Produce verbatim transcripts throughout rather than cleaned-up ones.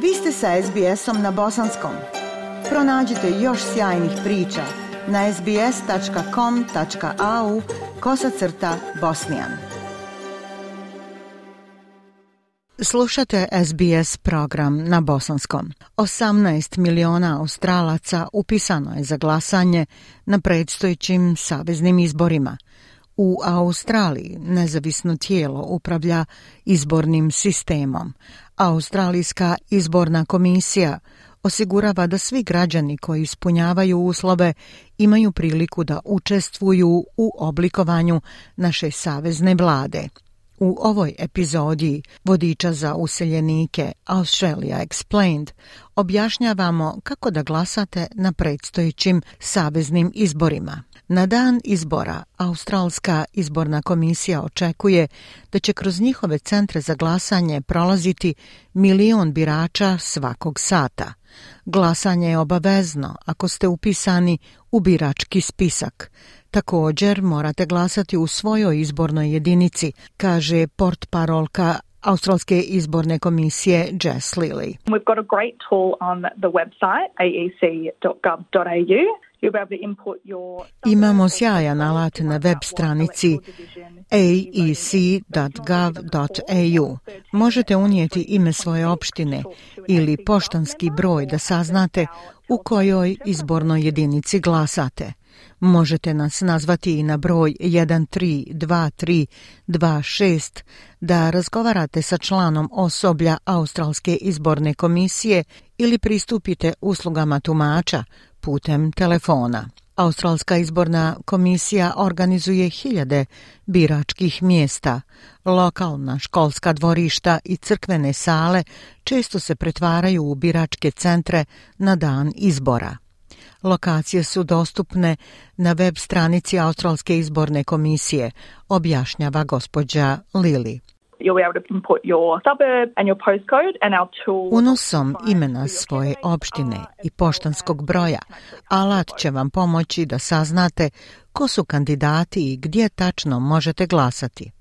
Vi ste sa es bi esom na bosanskom. Pronađite još sjajnih priča na es bi es tačka com tačka a u kosacrta bosnijan. Slušate es bi es program na bosanskom. osamnaest miliona Australaca upisano je za glasanje na predstojećim saveznim izborima. U Australiji nezavisno tijelo upravlja izbornim sistemom. Australijska izborna komisija osigurava da svi građani koji ispunjavaju uslove imaju priliku da učestvuju u oblikovanju naše savezne vlade. U ovoj epizodi vodiča za useljenike Australia Explained objašnjavamo kako da glasate na predstojećim saveznim izborima. Na dan izbora Australska izborna komisija očekuje da će kroz njihove centre za glasanje prolaziti milion birača svakog sata. Glasanje je obavezno ako ste upisani u birački spisak. Također morate glasati u svojoj izbornoj jedinici, kaže portparolka Australske izborne komisije Jess Lilly. We've got a great tool on the website a e c dot gov dot a u. Imamo sjajan alat na web stranici a e c dot gov dot a u. Možete unijeti ime svoje opštine ili poštanski broj da saznate u kojoj izbornoj jedinici glasate. Možete nas nazvati i na broj jedan tri dva tri dva šest da razgovarate sa članom osoblja Australske izborne komisije ili pristupite uslugama tumača putem telefona. Australska izborna komisija organizuje hiljade biračkih mjesta. Lokalna školska dvorišta i crkvene sale često se pretvaraju u biračke centre na dan izbora. Lokacije su dostupne na web stranici Australske izborne komisije, objašnjava gospođa Lilly. Unosom imena svoje opštine i poštanskog broja, alat će vam pomoći da saznate ko su kandidati i gdje tačno možete glasati.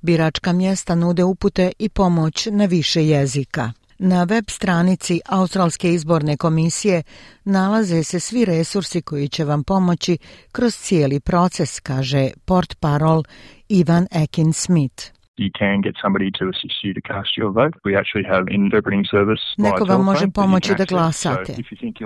Biračka mjesta nude upute i pomoć na više jezika. Na web stranici Australske izborne komisije nalaze se svi resursi koji će vam pomoći kroz cijeli proces, kaže portparol Ivan Ekin-Smith. You can get somebody to assist you to cast your vote. We actually have an interpreting service. Neko vam može pomoći da glasate.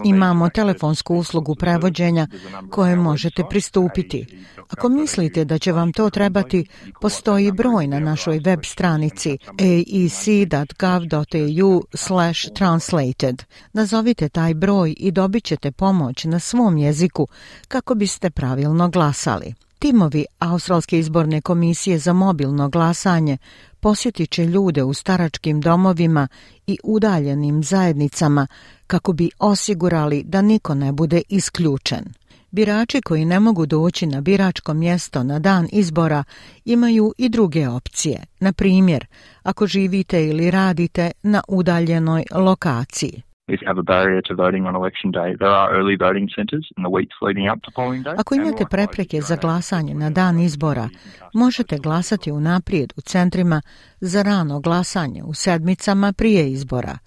Imamo telefonsku uslugu prevođenja koje možete pristupiti. Ako mislite da će vam to trebati, postoji broj na našoj web stranici a e c dot gov dot a u slash translated. Nazovite taj broj i dobit ćete pomoć na svom jeziku kako biste pravilno glasali. Timovi Australske izborne komisije za mobilno glasanje posjetit će ljude u staračkim domovima i udaljenim zajednicama kako bi osigurali da niko ne bude isključen. Birači koji ne mogu doći na biračko mjesto na dan izbora imaju i druge opcije. Na primjer, ako živite ili radite na udaljenoj lokaciji. If you have a barrier to voting on election day, there are early voting centres in the weeks leading up to polling day. Ako imate prepreke za glasanje na dan izbora, možete glasati unaprijed u centrima za rano glasanje u sedmicama prije izbora.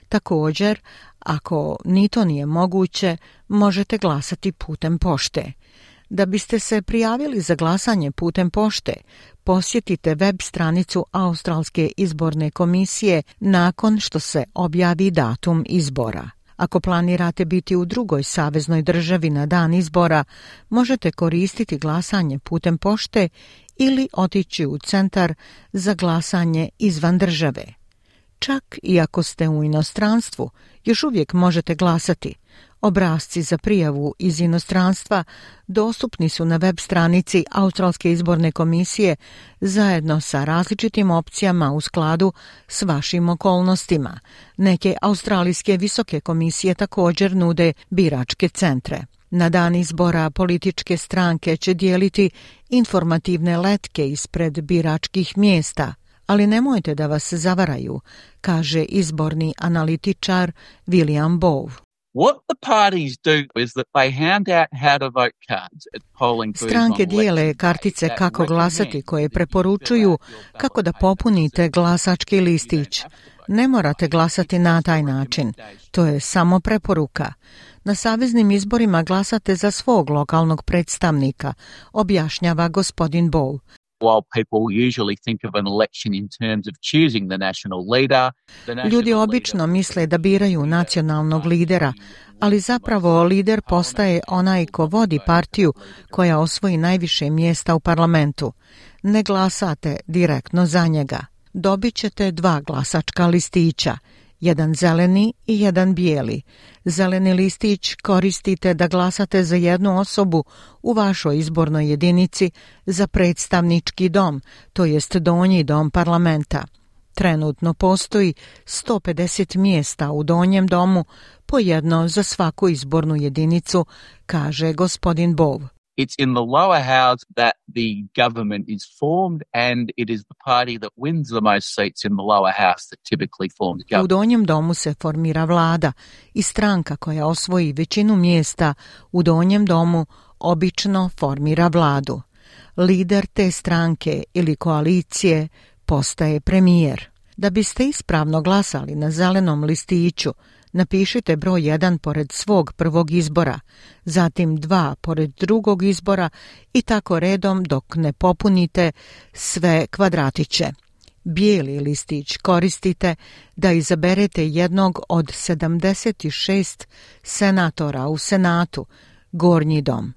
Također, ako ni to nije moguće, možete glasati putem pošte. Da biste se prijavili za glasanje putem pošte, posjetite web stranicu Australske izborne komisije nakon što se objavi datum izbora. Ako planirate biti u drugoj saveznoj državi na dan izbora, možete koristiti glasanje putem pošte ili otići u centar za glasanje izvan države. Čak i ako ste u inostranstvu, još uvijek možete glasati. Obrasci za prijavu iz inostranstva dostupni su na web stranici Australske izborne komisije zajedno sa različitim opcijama u skladu s vašim okolnostima. Neke australijske visoke komisije također nude biračke centre. Na dan izbora političke stranke će dijeliti informativne letke ispred biračkih mjesta, ali nemojte da vas zavaraju, kaže izborni analitičar William Bowe. What the parties do is that they hand out how to vote cards at polling booths. Stranke dijele kartice kako glasati koje preporučuju kako da popunite glasački listić. Ne morate glasati na taj način. To je samo preporuka. Na saveznim izborima glasate za svog lokalnog predstavnika, objašnjava gospodin Bow. While people usually think of an election in terms of choosing the national leader, the national Ljudi obično misle da biraju nacionalnog lidera, ali zapravo lider postaje onaj ko vodi partiju koja osvoji najviše mjesta u parlamentu. Ne glasate direktno za njega. Dobit ćete dva glasačka listića, jedan zeleni i jedan bijeli. Zeleni listić koristite da glasate za jednu osobu u vašoj izbornoj jedinici za predstavnički dom, to jest donji dom parlamenta. Trenutno postoji sto pedeset mjesta u donjem domu, po jedno za svaku izbornu jedinicu, kaže gospodin Bow. It's in the lower house that the government is formed, and it is the party that wins the most seats in the lower house that typically forms government. U donjem domu se formira vlada i stranka koja osvoji većinu mjesta u donjem domu obično formira vladu. Lider te stranke ili koalicije postaje premijer. Da biste ispravno glasali na zelenom listiću, napišite broj jedan pored svog prvog izbora, zatim dva pored drugog izbora i tako redom dok ne popunite sve kvadratiće. Bijeli listić koristite da izaberete jednog od sedamdeset šest senatora u Senatu, gornji dom.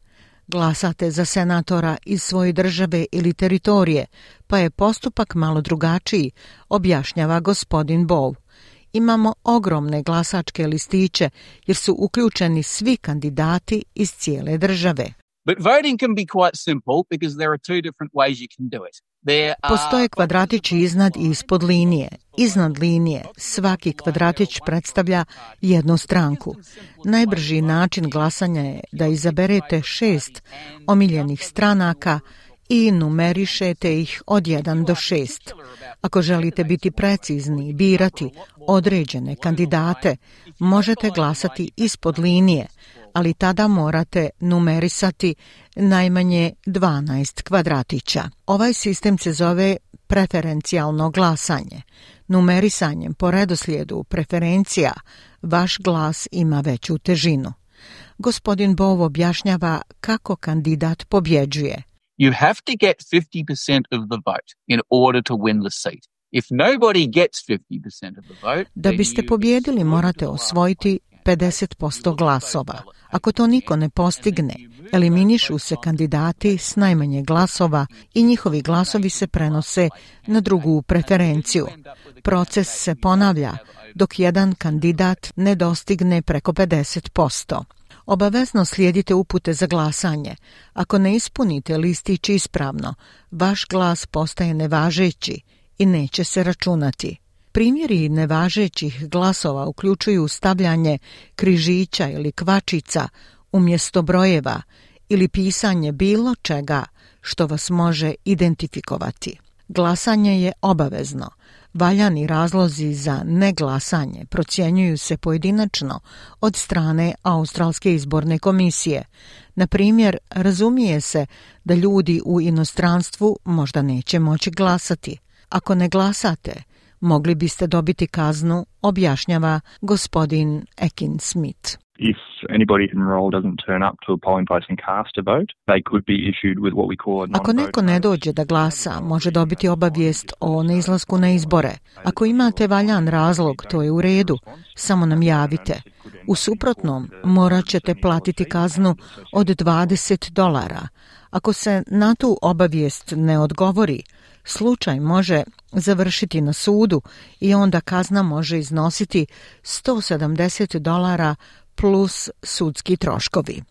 Glasate za senatora iz svoje države ili teritorije, pa je postupak malo drugačiji, objašnjava gospodin Bow. Imamo ogromne glasačke listiće jer su uključeni svi kandidati iz cijele države. But voting can be quite simple because there are two different ways you can do it. Postoje kvadratići iznad i ispod linije. Iznad linije svaki kvadratić predstavlja jednu stranku. Najbrži način glasanja je da izaberete šest omiljenih stranaka i numerišete ih od jedan do šest. Ako želite biti precizni i birati određene kandidate, možete glasati ispod linije, ali tada morate numerisati najmanje dvanaest kvadratića. Ovaj sistem se zove preferencijalno glasanje. Numerisanjem po redoslijedu preferencija vaš glas ima veću težinu. Gospodin Bow objašnjava kako kandidat pobjeđuje. You have to get fifty percent of the vote in order to win the seat. If nobody gets fifty percent of the vote, da biste pobjedili morate osvojiti pedeset posto glasova. Ako to niko ne postigne, eliminišu se kandidati s najmanje glasova i njihovi glasovi se prenose na drugu preferenciju. Proces se ponavlja dok jedan kandidat ne dostigne preko pedeset posto. Obavezno slijedite upute za glasanje. Ako ne ispunite listić ispravno, vaš glas postaje nevažeći i neće se računati. Primjeri nevažećih glasova uključuju stavljanje križića ili kvačica umjesto brojeva ili pisanje bilo čega što vas može identifikovati. Glasanje je obavezno. Valjani razlozi za neglasanje procjenjuju se pojedinačno od strane Australske izborne komisije. Na primjer, razumije se da ljudi u inostranstvu možda neće moći glasati. Ako ne glasate, mogli biste dobiti kaznu, objašnjava gospodin Ekin Smith. If anybody enrolled doesn't turn up to a polling place and cast a vote, they could be issued with what we call a non-vote. Ako neko ne dođe da glasa, može dobiti obavijest o neizlasku na izbore. Ako imate valjan razlog, to je u redu, samo nam javite. U suprotnom, morat ćete platiti kaznu od dvadeset dolara. Ako se na tu obavijest ne odgovori, slučaj može završiti na sudu i onda kazna može iznositi sto sedamdeset dolara plus sudski troškovi.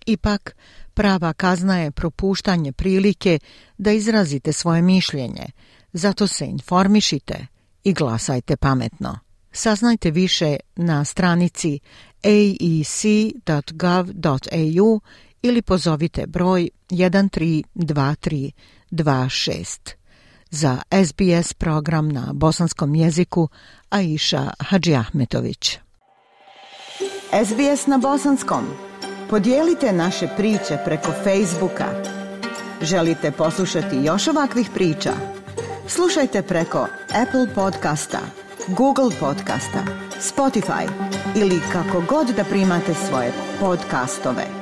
Ipak, prava kazna je propuštanje prilike da izrazite svoje mišljenje, zato se informišite i glasajte pametno. Saznajte više na stranici a e c dot gov dot a u ili pozovite broj jedan tri dva tri dva šest. Za S B S program na bosanskom jeziku Aisha Hadžiahmetović. S B S na bosanskom. Podijelite naše priče preko Facebooka. Želite poslušati još ovakvih priča? Slušajte preko Apple podcasta, Google Podcasta, Spotify ili kako god da primate svoje podcastove.